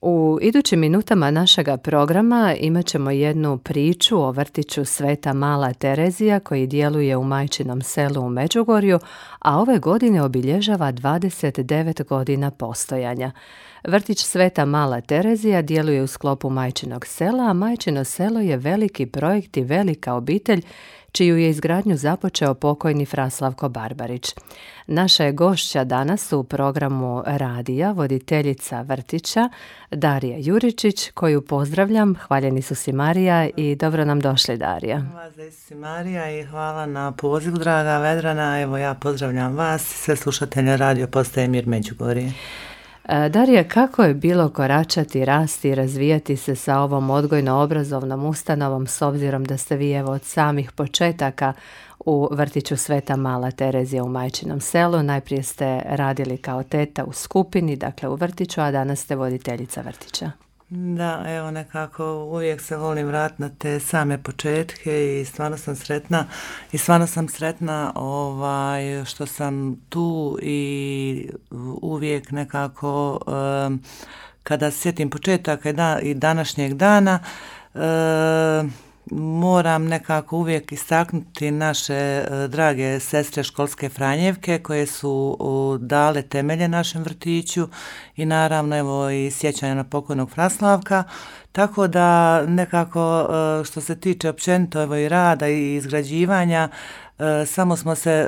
U idućim minutama našega programa imat ćemo jednu priču o vrtiću Sveta Mala Terezija koji djeluje u Majčinom selu u Međugorju, a ove godine obilježava 29 godina postojanja. Vrtić Sveta Mala Terezija djeluje u sklopu Majčinog sela, a Majčino selo je veliki projekt i velika obitelj čiju je izgradnju započeo pokojni Fra Slavko Barbarić. Naša je gošća danas u programu radija, voditeljica vrtića Darija Juričić, koju pozdravljam. Hvaljeni su si Marija i dobro nam došli, Darija. Hvala si Marija i hvala na pozivu, draga Vedrana. Evo ja pozdravljam vas i sve slušatelje radio postaje Mir Međugorje. Darija, kako je bilo koračati, rasti i razvijati se sa ovom odgojno-obrazovnom ustanovom s obzirom da ste vi evo od samih početaka u vrtiću Sveta Mala Terezija u Majčinom selu? Najprije ste radili kao teta u skupini, dakle u vrtiću, a danas ste voditeljica vrtića. Da, evo nekako uvijek se volim vratiti na te same početke i stvarno sam sretna što sam tu i uvijek nekako kada sjetim početaka i današnjeg dana moram nekako uvijek istaknuti naše drage sestre školske Franjevke koje su dale temelje našem vrtiću i naravno evo i sjećanja na pokojnog Fraslavka. Tako da nekako što se tiče općenito evo i rada i izgrađivanja, samo smo se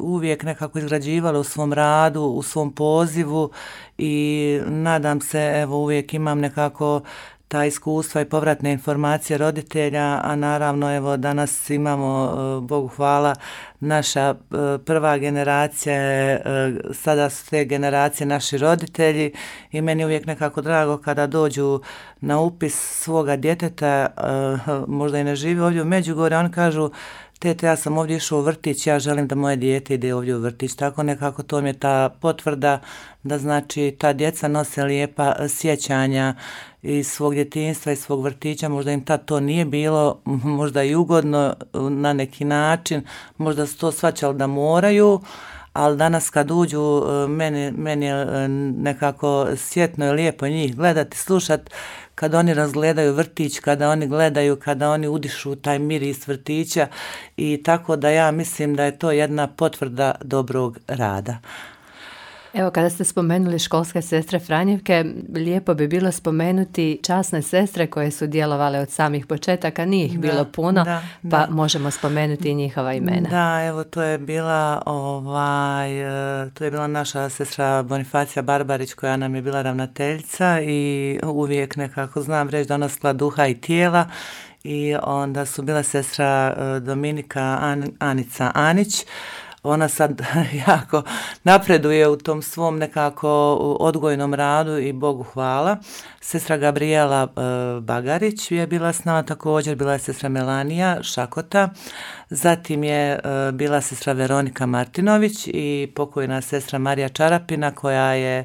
uvijek nekako izgrađivali u svom radu, u svom pozivu i nadam se evo uvijek imam nekako ta iskustva i povratne informacije roditelja, a naravno evo danas imamo, Bogu hvala, naša prva generacija, sada su te generacije naši roditelji i meni je uvijek nekako drago kada dođu na upis svoga djeteta, možda i ne živi ovdje u Međugorju, oni kažu: tete, ja sam ovdje išao u vrtić, ja želim da moje dijete ide ovdje u vrtić. Tako nekako to mi je ta potvrda da znači ta djeca nose lijepa sjećanja iz svog djetinjstva, iz svog vrtića. Možda im tad to nije bilo, možda i ugodno na neki način, možda su to shvaćali da moraju, ali danas kad uđu, meni je nekako sjetno i lijepo njih gledati, slušati, kada oni razgledaju vrtić, kada oni udišu taj miris vrtića i tako da ja mislim da je to jedna potvrda dobrog rada. Evo, kada ste spomenuli školske sestre Franjevke, lijepo bi bilo spomenuti časne sestre koje su djelovale od samih početaka, nije ih bilo puno, pa možemo spomenuti i njihova imena. Da, evo to je bila naša sestra Bonifacija Barbarić koja nam je bila ravnateljica i uvijek nekako znam reći da ona skla duha i tijela. I onda su bila sestra Dominika Anica Anić. Ona sad jako napreduje u tom svom nekako odgojnom radu i Bogu hvala. Sestra Gabriela Bagarić je bila s nama također, bila je sestra Melanija Šakota, zatim je bila sestra Veronika Martinović i pokojna sestra Marija Čarapina koja je,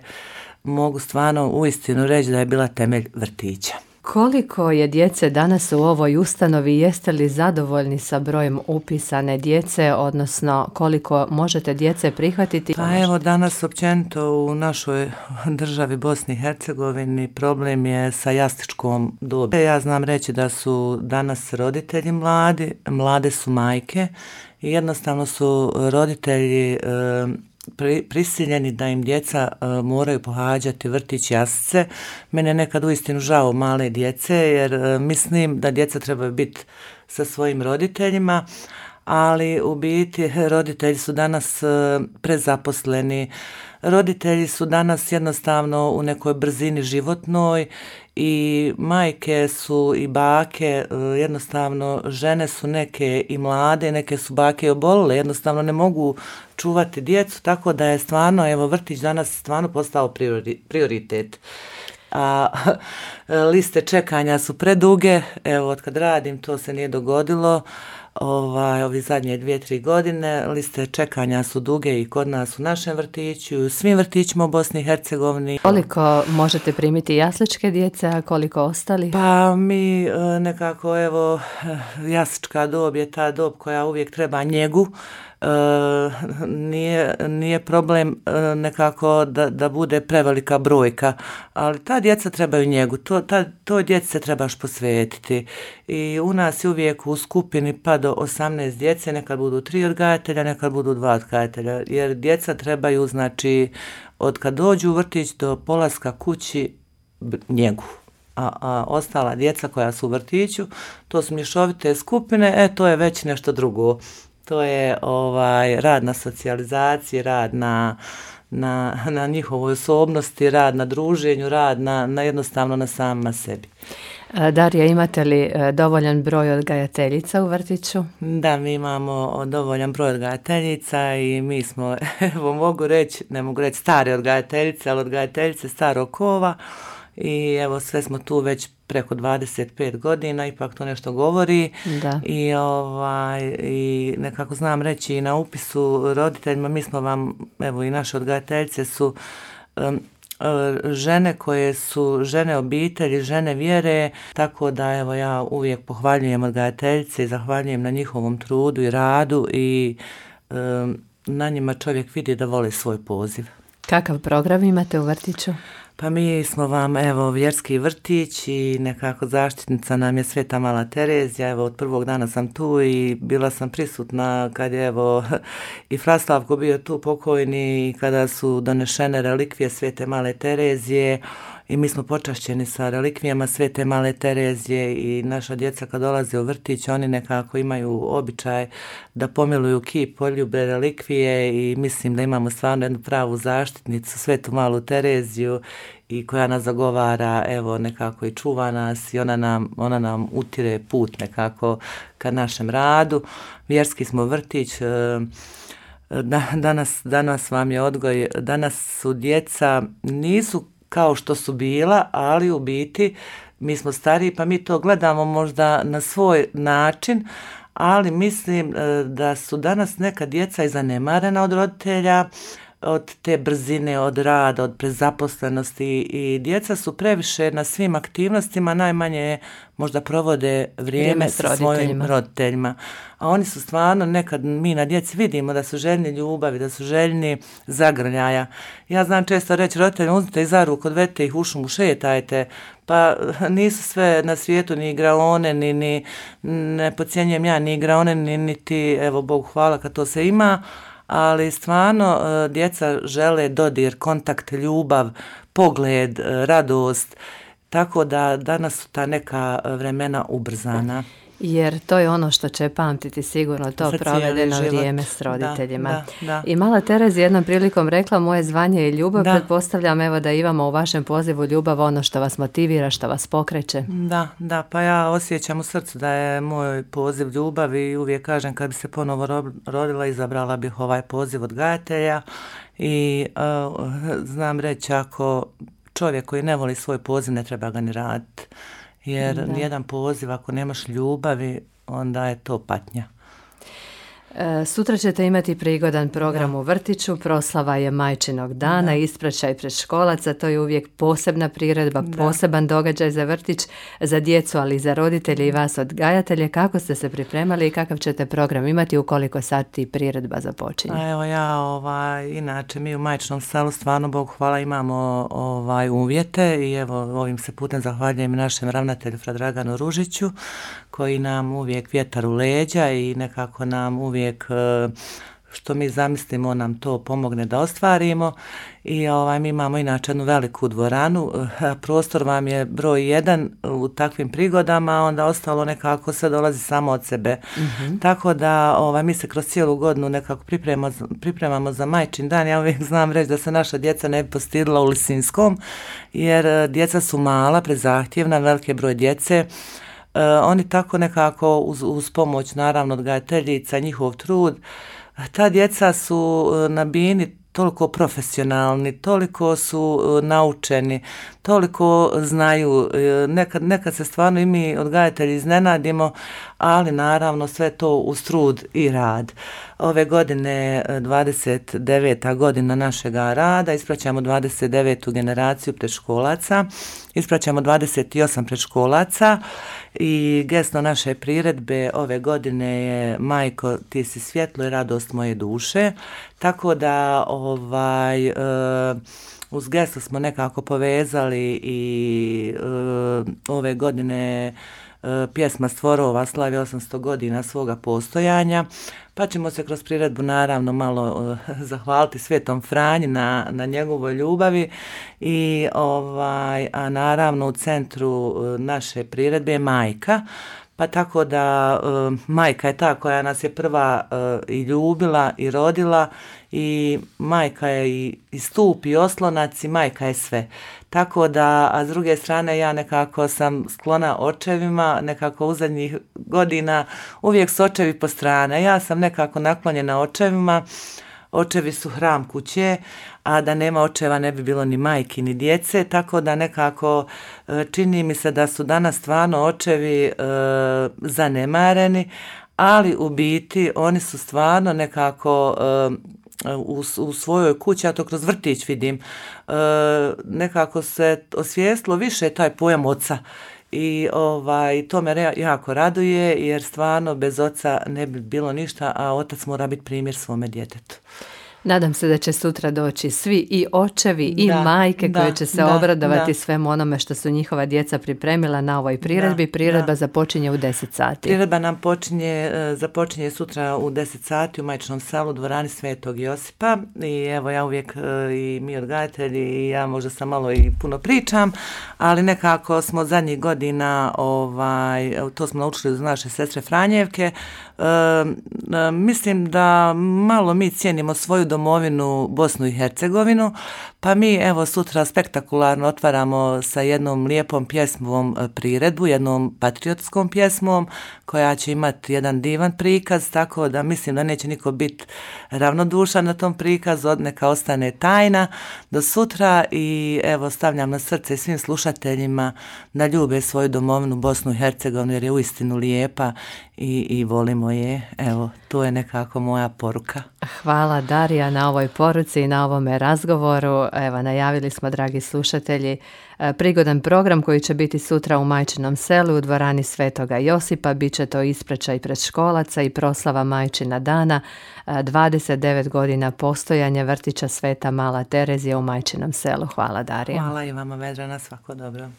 mogu stvarno uistinu reći da je bila temelj vrtića. Koliko je djece danas u ovoj ustanovi, jeste li zadovoljni sa brojem upisane djece, odnosno koliko možete djece prihvatiti? Pa evo danas općenito u našoj državi Bosni i Hercegovini problem je sa jasličkom dobi. Ja znam reći da su danas roditelji mlade su majke i jednostavno su roditelji prisiljeni da im djeca moraju pohađati vrtić, jaslice. Mene je nekad uistinu žao male djece jer mislim da djeca trebaju biti sa svojim roditeljima, ali u biti roditelji su danas prezaposleni. Roditelji su danas jednostavno u nekoj brzini životnoj i majke su i bake, jednostavno žene su neke i mlade, neke su bake i obolile, jednostavno ne mogu čuvati djecu, tako da je stvarno, evo vrtić danas stvarno postao prioritet. A liste čekanja su preduge, evo od kad radim to se nije dogodilo, ovi zadnje 2-3 godine, liste čekanja su duge i kod nas u našem vrtiću, u svim vrtićima u Bosni i Hercegovini. Koliko možete primiti jasličke djece, a koliko ostali? Pa mi nekako, evo, jaslička dob je ta dob koja uvijek treba njegu, nije problem nekako da bude prevelika brojka, ali ta djeca trebaju njegu, toj djeci se trebaš posvetiti i u nas je uvijek u skupini pa do 18 djece, nekad budu 3 odgajatelja, nekad budu 2 odgajatelja, jer djeca trebaju, znači, od kad dođu u vrtić do polaska kući njegu. A ostala djeca koja su u vrtiću, to su mješovite skupine, to je već nešto drugo. To je rad na socijalizaciji, rad na njihovoj osobnosti, rad na druženju, rad na jednostavno na samima sebi. Darija, imate li dovoljan broj odgajateljica u vrtiću? Da, mi imamo dovoljan broj odgajateljica i mi smo, evo ne mogu reći stare odgajateljice, ali odgajateljice starog kova i evo sve smo tu već preko 25 godina, ipak to nešto govori. Da. I nekako znam reći i na upisu roditeljima, mi smo vam, evo i naše odgajateljice su žene koje su žene obitelji, žene vjere, tako da evo ja uvijek pohvaljujem odgajateljice i zahvaljujem na njihovom trudu i radu i na njima čovjek vidi da voli svoj poziv. Kakav program imate u vrtiću? Pa mi smo vam, evo, vjerski vrtić i nekako zaštitnica nam je Sveta Mala Terezija, evo, od prvog dana sam tu i bila sam prisutna kad je, evo, i Fraslavko bio tu pokojni i kada su donešene relikvije Svete Male Terezije i mi smo počašćeni sa relikvijama Svete Male Terezije i naša djeca kad dolaze u vrtić, oni nekako imaju običaj da pomiluju kip, poljube relikvije i mislim da imamo stvarno jednu pravu zaštitnicu, Svetu Malu Tereziju i koja nas zagovara, evo, nekako i čuva nas i ona nam utire put nekako ka našem radu. Vjerski smo vrtić, danas vam je odgoj, danas su djeca, nisu kao što su bila, ali u biti mi smo stariji pa mi to gledamo možda na svoj način, ali mislim da su danas neka djeca i zanemarena od roditelja, od te brzine, od rada, od prezaposlenosti i djeca su previše na svim aktivnostima, najmanje možda provode vrijeme sa svojim roditeljima. A oni su stvarno, nekad mi na djeci vidimo da su željni ljubavi, da su željni zagrljaja. Ja znam često reći roditeljima, uzmite ih za ruku, odvedite ih u šumu, šetajte, pa nisu sve na svijetu ni igraone, ni ne podcjenjujem ja ni igraone, niti, evo Bogu hvala kad to se ima, ali stvarno djeca žele dodir, kontakt, ljubav, pogled, radost, tako da danas su ta neka vremena ubrzana. Jer to je ono što će pamtiti sigurno, to provedeno vrijeme s roditeljima. Da. I Mala Terezija jednom prilikom rekla, moje zvanje je ljubav, pretpostavljam evo da imamo u vašem pozivu ljubav, ono što vas motivira, što vas pokreće. Da, pa ja osjećam u srcu da je moj poziv ljubav i uvijek kažem kad bi se ponovo rodila, izabrala bih ovaj poziv odgajatelja i znam reći ako čovjek koji ne voli svoj poziv ne treba ga ni raditi. Jer nijedan poziv, ako nemaš ljubavi, onda je to patnja. Sutra ćete imati prigodan program u vrtiću, proslava je Majčinog dana, ispraćaj predškolaca, to je uvijek posebna priredba, poseban događaj za vrtić, za djecu, ali i za roditelje i vas odgajatelje. Kako ste se pripremali i kakav ćete program imati, u koliko sati priredba započinje? Evo ja, inače mi u Majčinom selu stvarno, Bogu hvala, imamo uvjete i evo ovim se putem zahvaljujem našem ravnatelju Fradraganu Ružiću koji nam uvijek vjetar u leđa i nekako nam uvijek što mi zamislimo nam to pomogne da ostvarimo i mi imamo inače jednu veliku dvoranu, prostor vam je broj 1 u takvim prigodama, onda ostalo nekako sve dolazi samo od sebe. Tako da mi se kroz cijelu godinu nekako pripremamo za Majčin dan. Ja uvijek znam reći da se naša djeca ne bi postidila u Lisinskom jer djeca su mala, prezahtjevna, veliki broj djece. Oni tako nekako uz pomoć naravno odgajateljica, njihov trud, ta djeca su na bini toliko profesionalni, toliko su naučeni, toliko znaju. Nekad se stvarno i mi odgajatelji iznenadimo, ali naravno sve to uz trud i rad. Ove godine 29. godina našega rada, ispraćamo 29. generaciju predškolaca, ispraćamo 28 predškolaca i geslo naše priredbe ove godine je Majko, ti si svjetlo i radost moje duše, tako da uz geslo smo nekako povezali i ove godine pjesma Stvorova slavi 800 godina svoga postojanja, pa ćemo se kroz priredbu naravno malo zahvaliti Svetom Franji na njegovoj ljubavi i a naravno u centru naše priredbe je majka, pa tako da majka je ta koja nas je prva i ljubila i rodila i majka je i stup i oslonac i majka je sve. Tako da, a s druge strane ja nekako sam sklona očevima, nekako u zadnjih godina uvijek su očevi po strane. Ja sam nekako naklonjena očevima, očevi su hram kuće, a da nema očeva ne bi bilo ni majki ni djece, tako da nekako čini mi se da su danas stvarno očevi zanemareni, ali u biti oni su stvarno nekako u svojoj kući, ja to kroz vrtić vidim, nekako se osvijestilo više taj pojam oca. I to me jako raduje jer stvarno bez oca ne bi bilo ništa, a otac mora biti primjer svome djetetu. Nadam se da će sutra doći svi i očevi i majke koje će se obradovati svemu onome što su njihova djeca pripremila na ovoj priredbi. Priredba započinje u 10 sati. Priredba nam započinje sutra u 10 sati u Majčinom selu u dvorani Svetog Josipa i evo ja uvijek i mi odgajatelji i ja možda sam malo i puno pričam, ali nekako smo zadnjih godina to smo naučili uz naše sestre Franjevke. Mislim da malo mi cijenimo svoju domovinu Bosnu i Hercegovinu, pa mi evo sutra spektakularno otvaramo sa jednom lijepom pjesmom priredbu, jednom patriotskom pjesmom koja će imati jedan divan prikaz, tako da mislim da neće niko biti ravnodušan na tom prikazu, neka ostane tajna do sutra i evo stavljam na srce svim slušateljima da ljube svoju domovinu Bosnu i Hercegovinu jer je uistinu lijepa i volimo je. Evo, to je nekako moja poruka. Hvala Darija na ovoj poruci i na ovome razgovoru. Evo, najavili smo, dragi slušatelji, prigodan program koji će biti sutra u Majčinom selu u dvorani Svetoga Josipa. Biće to ispraćaj predškolaca i proslava Majčina dana, 29 godina postojanja vrtića Sveta Mala Terezija u Majčinom selu. Hvala Darija. Hvala i vama, Vedrana, svako dobro.